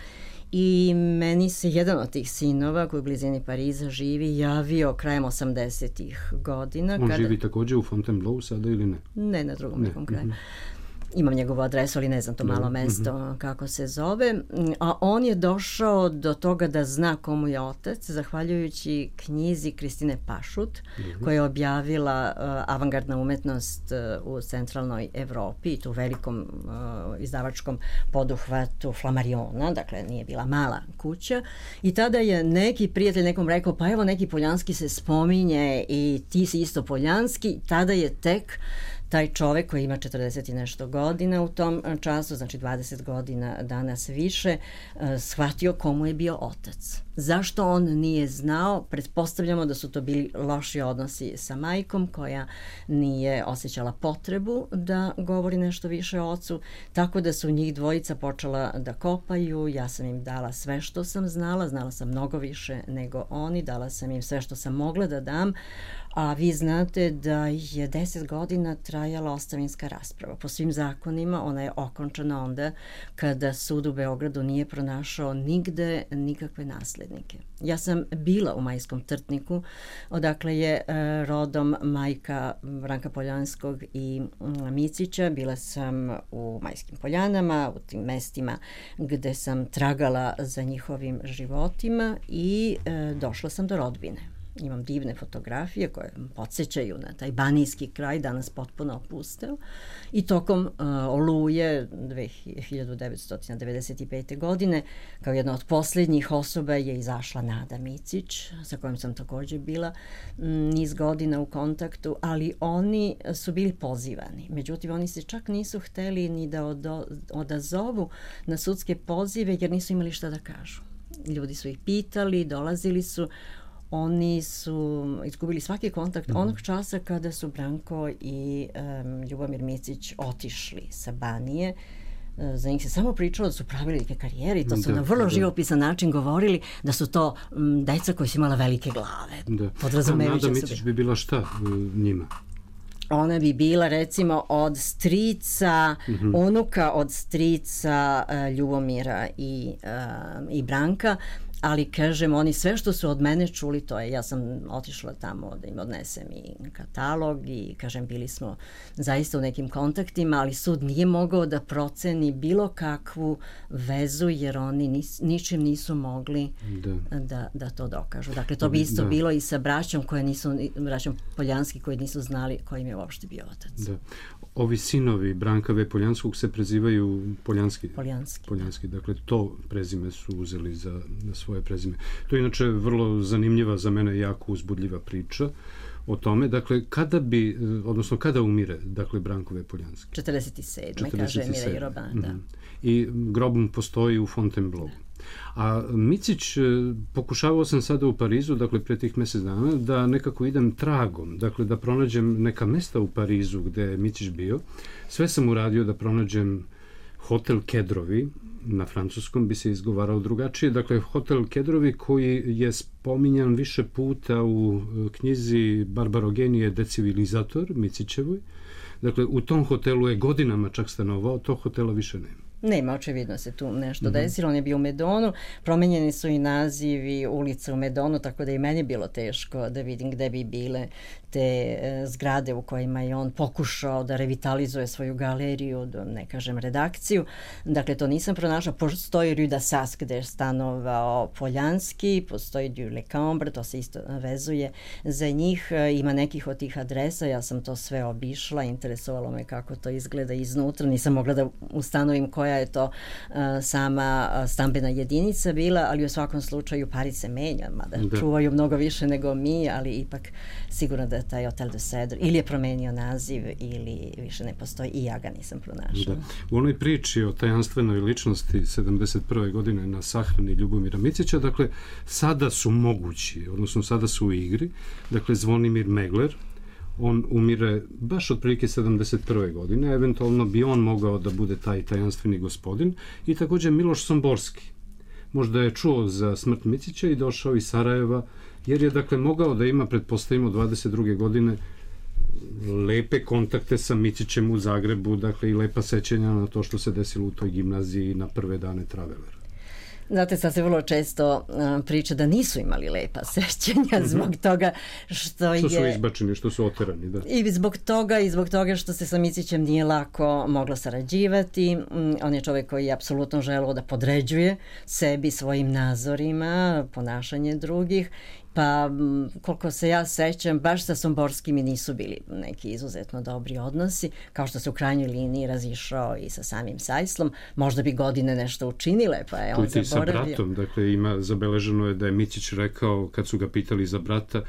i meni se jedan od tih sinova koji u blizini Pariza živi javio krajem 80-ih godina. On živi također u Fontainebleau sada ili ne? Ne, na drugom nekom kraju. Imam njegovu adresu, ali ne znam to malo mesto kako se zove. A on je došao do toga da zna komu je otac, zahvaljujući knjizi Kristine Pašut, koja je objavila avangardna umetnost u centralnoj Evropi, tu velikom izdavačkom poduhvatu Flammariona, dakle nije bila mala kuća. I tada je neki prijatelj nekom rekao, pa evo neki Poljanski se spominje i ti si isto Poljanski. Tada je tek taj čovek koji ima 40 i nešto godina u tom času, znači 20 godina danas više, shvatio komu je bio otac. Zašto on nije znao? Pretpostavljamo da su to bili loši odnosi sa majkom koja nije osjećala potrebu da govori nešto više o ocu, tako da su njih dvojica počela da kopaju. Ja sam im dala sve što sam znala sam mnogo više nego oni, dala sam im sve što sam mogla da dam, a vi znate da je 10 godina trajala ostavinska rasprava. Po svim zakonima ona je okončana onda kada sud u Beogradu nije pronašao nigde nikakve naslednike. Ja sam bila u Majskom Trtniku, odakle je rodom majka Branka Poljanskog i Micića. Bila sam u Majskim Poljanama, u tim mestima gde sam tragala za njihovim životima i došla sam do rodbine. Imam divne fotografije koje podsjećaju na taj banijski kraj, danas potpuno opusteo. I tokom Oluje 1995. godine, kao jedna od posljednjih osoba je izašla Nada Micić, sa kojom sam također bila niz godina u kontaktu, ali oni su bili pozivani. Međutim, oni se čak nisu hteli ni da odazovu na sudske pozive jer nisu imali šta da kažu. Ljudi su ih pitali, dolazili su. Oni su izgubili svaki kontakt onog časa kada su Branko i Ljubomir Micić otišli sa Banije. Za njih se samo pričalo da su pravili neke karijere i to su na vrlo živopisan način govorili da su to deca koji su imala velike glave. Nada Micić bi bila šta njima? Ona bi bila recimo od strica, unuka od strica Ljubomira i Branka. Ali, kažem, oni sve što su od mene čuli, to je, ja sam otišla tamo da im odnesem i katalog i, kažem, bili smo zaista u nekim kontaktima, ali sud nije mogao da proceni bilo kakvu vezu, jer oni ničim nisu mogli da to dokažu. Dakle, to bi isto bilo i sa braćom braćom Poljanski koji nisu znali koji im je uopšte bio otac. Da. Ovi sinovi Branka V. Poljanskog se prezivaju Poljanski. Dakle, to prezime su uzeli za svoje prezime. To je inače vrlo zanimljiva, za mene jako uzbudljiva priča o tome. Dakle, kada umire, dakle, Branko V. Poljanski? 47. kaže Mireille Robin, da. I grob postoji u Fontainebleau. A Micić, pokušavao sam sada u Parizu, dakle pre tih mjesec dana, da nekako idem tragom, dakle da pronađem neka mesta u Parizu gde je Micić bio. Sve sam uradio da pronađem hotel Kedrovi, na francuskom bi se izgovarao drugačije, dakle hotel Kedrovi koji je spominjan više puta u knjizi Barbarogenije Decivilizator, Micićevoj. Dakle, u tom hotelu je godinama čak stanovao, tog hotela više nema. Nema, očevidno se tu nešto desilo, on je bio u Medonu, promenjeni su i nazivi ulica u Medonu, tako da i meni bilo teško da vidim gde bi bile te zgrade u kojima je on pokušao da revitalizuje svoju galeriju, ne kažem redakciju. Dakle, to nisam pronašla. Postoji Rue d'Assas gde je stanovao Poljanski, postoji Rue Le Cambre, to se isto vezuje za njih. Ima nekih od tih adresa, ja sam to sve obišla, interesovalo me kako to izgleda iznutra, nisam mogla da ustanovim koja je to sama stambena jedinica bila, ali u svakom slučaju Pariz se menja, mada čuvaju mnogo više nego mi, ali ipak sigurno da je taj Hotel de Cedre ili je promenio naziv ili više ne postoji i ja ga nisam pronašla. U onoj priči o tajanstvenoj ličnosti 71. godine na sahrani Ljubomira Micića, dakle, sada su mogući, odnosno sada su u igri, dakle, Zvonimir Megler, On umire baš otprilike 71. godine, eventualno bi on mogao da bude taj tajanstveni gospodin, i također Miloš Somborski. Možda je čuo za smrt Micića i došao iz Sarajeva, jer je dakle mogao da ima, pretpostavimo, 22. godine lepe kontakte sa Micićem u Zagrebu, dakle i lepa sećanja na to što se desilo u toj gimnaziji na prve dane Travelera. Znate, sad se vrlo često priča da nisu imali lepa sećanja zbog toga što su izbačeni, što su oterani, da. I zbog toga što se sa Micićem nije lako moglo sarađivati. On je čovjek koji je apsolutno želeo da podređuje sebi, svojim nazorima, ponašanje drugih. Pa, koliko se ja sećam, baš sa Somborskim i nisu bili neki izuzetno dobri odnosi, kao što se u krajnjoj liniji razišao i sa samim Sajslom. Možda bi godine nešto učinile, pa je on zaboravio. Sa bratom, dakle, zabeleženo je da je Micić rekao, kad su ga pitali za brata,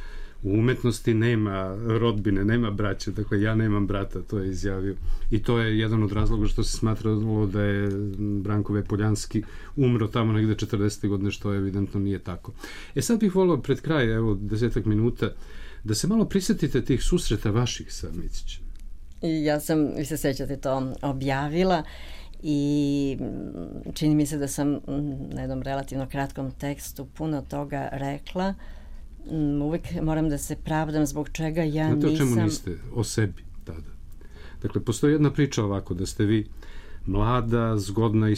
u umetnosti nema rodbine, nema braće, dakle ja nemam brata, to je izjavio. I to je jedan od razloga što se smatralo da je Branko Poljanski umro tamo negde 40. godine, što evidentno nije tako. Sad bih volio pred kraj, evo 10 minuta, da se malo prisjetite tih susreta vaših sa Micićem. Vi se sećate, to objavila i čini mi se da sam na jednom relativno kratkom tekstu puno toga rekla. Uvijek moram da se pravdam zbog čega ja nisam... Znate o čemu niste? O sebi tada. Dakle, postoji jedna priča ovako, da ste vi mlada, zgodna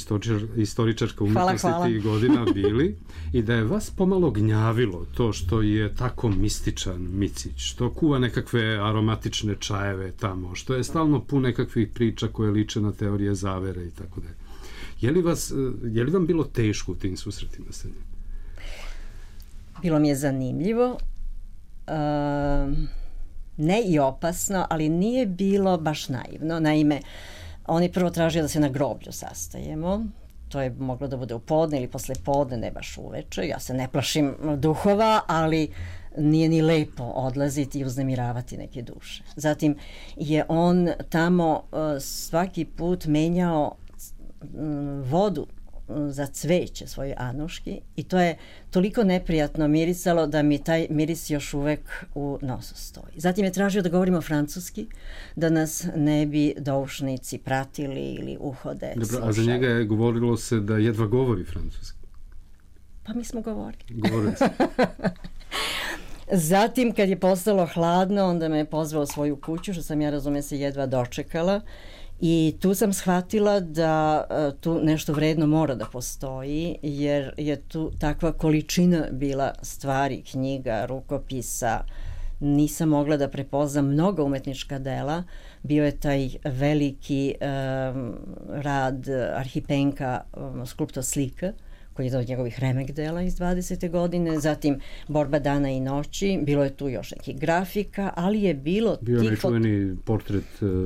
istoričarka umetnosti tih godina bili i da je vas pomalo gnjavilo to što je tako mističan Micić, što kuva nekakve aromatične čajeve tamo, što je stalno pun nekakvih priča koje liče na teorije zavere i tako da. Je li vam bilo teško u tim susretima sa njim? Bilo mi je zanimljivo, ne i opasno, ali nije bilo baš naivno. Naime, on je prvo tražio da se na groblju sastajemo. To je moglo da bude u podne ili posle podne, ne baš uveče. Ja se ne plašim duhova, ali nije ni lepo odlaziti i uznemiravati neke duše. Zatim je on tamo svaki put menjao vodu za cveće svoje Anuški i to je toliko neprijatno mirisalo da mi taj miris još uvek u nosu stoji. Zatim je tražio da govorimo francuski, da nas ne bi doušnici pratili ili uhode slušali. Dobro, a za njega je govorilo se da jedva govori francuski. Pa mi smo govorili. Govorili smo. Zatim, kad je postalo hladno, onda me je pozvao u svoju kuću, što sam ja, razume se, jedva dočekala. I tu sam shvatila da tu nešto vredno mora da postoji, jer je tu takva količina bila stvari, knjiga, rukopisa. Nisam mogla da prepoznam mnoga umetnička dela. Bio je taj veliki rad Arhipenka, skulptor slika, koji je od njegovih remek dela iz 20. godine, zatim Borba dana i noći, bilo je tu još nekih grafika, ali je bilo... Bio je nečuveni portret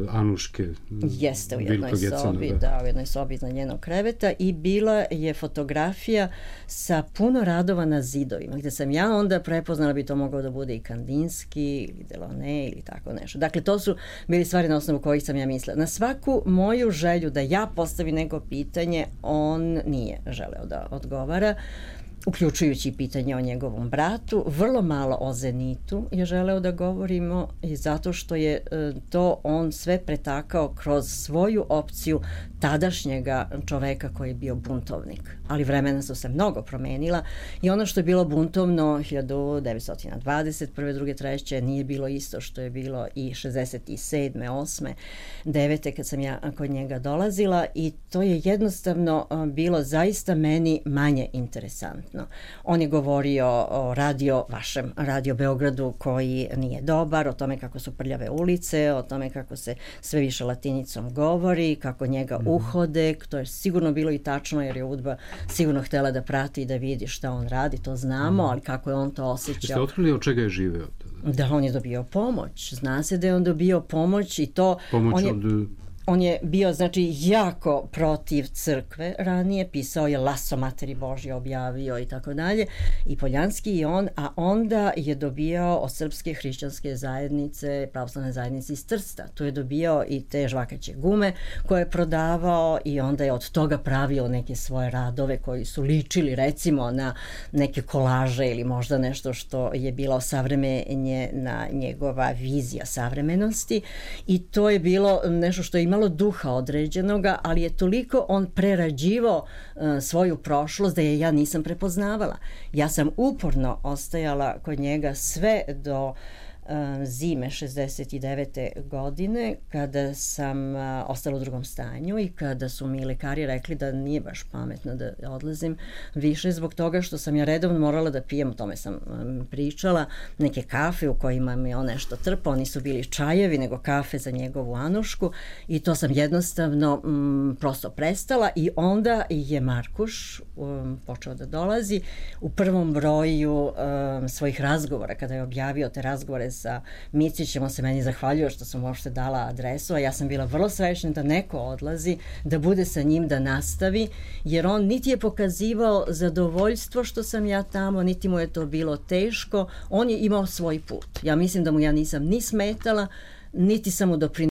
Anuške. Jeste, u jednoj sobi, da, u jednoj sobi iznad njenog kreveta i bila je fotografija sa puno radova na zidovima, gde sam ja onda prepoznala bi to mogao da bude i Kandinski, ili Delaunay, ili tako nešto. Dakle, to su bili stvari na osnovu kojih sam ja mislila. Na svaku moju želju da ja postavim neko pitanje, on nije želeo da odgovara, uključujući pitanje o njegovom bratu. Vrlo malo o Zenitu je želeo da govorimo i zato što je to on sve pretakao kroz svoju opciju tadašnjega čoveka koji je bio buntovnik. Ali vremena su se mnogo promenila i ono što je bilo buntovno 1921. 2. 2. 3. nije bilo isto što je bilo i 67. 8. 9. kad sam ja kod njega dolazila i to je jednostavno bilo zaista meni manje interesantno. On je govorio o vašem radio Beogradu koji nije dobar, o tome kako su prljave ulice, o tome kako se sve više latinicom govori, kako njega uhode, to je sigurno bilo i tačno jer je UDBA sigurno htjela da prati i da vidi šta on radi, to znamo, ali kako je on to osjećao. Jeste otkrili od čega je živeo? Da, on je dobio pomoć. Zna se da je on dobio pomoć i to... Pomoć On je bio, znači, jako protiv crkve ranije, pisao je Laso Materi Božje, objavio i tako dalje, i Poljanski i on, a onda je dobijao od Srpske hrišćanske zajednice, pravoslavne zajednice iz Trsta. Tu je dobijao i te žvakaće gume koje je prodavao i onda je od toga pravio neke svoje radove koji su ličili recimo na neke kolaže ili možda nešto što je bilo savremenje na njegova vizija savremenosti, i to je bilo nešto što je imalo duha određenoga, ali je toliko on prerađivao svoju prošlost da je ja nisam prepoznavala. Ja sam uporno ostajala kod njega sve do zime 69. godine, kada sam ostala u drugom stanju i kada su mi lekari rekli da nije baš pametno da odlazim više, zbog toga što sam ja redovno morala da pijem, o tome sam pričala, neke kafe u kojima mi on nešto trpao, nisu bili čajevi nego kafe za njegovu Anušku, i to sam jednostavno prosto prestala, i onda je Markuš počeo da dolazi u prvom broju svojih razgovora, kada je objavio te razgovore sa Micićem. On se meni zahvaljuje što sam uopšte dala adresu, a ja sam bila vrlo srećna da neko odlazi, da bude sa njim, da nastavi, jer on niti je pokazivao zadovoljstvo što sam ja tamo, niti mu je to bilo teško. On je imao svoj put. Ja mislim da mu ja nisam ni smetala, niti sam mu doprinosila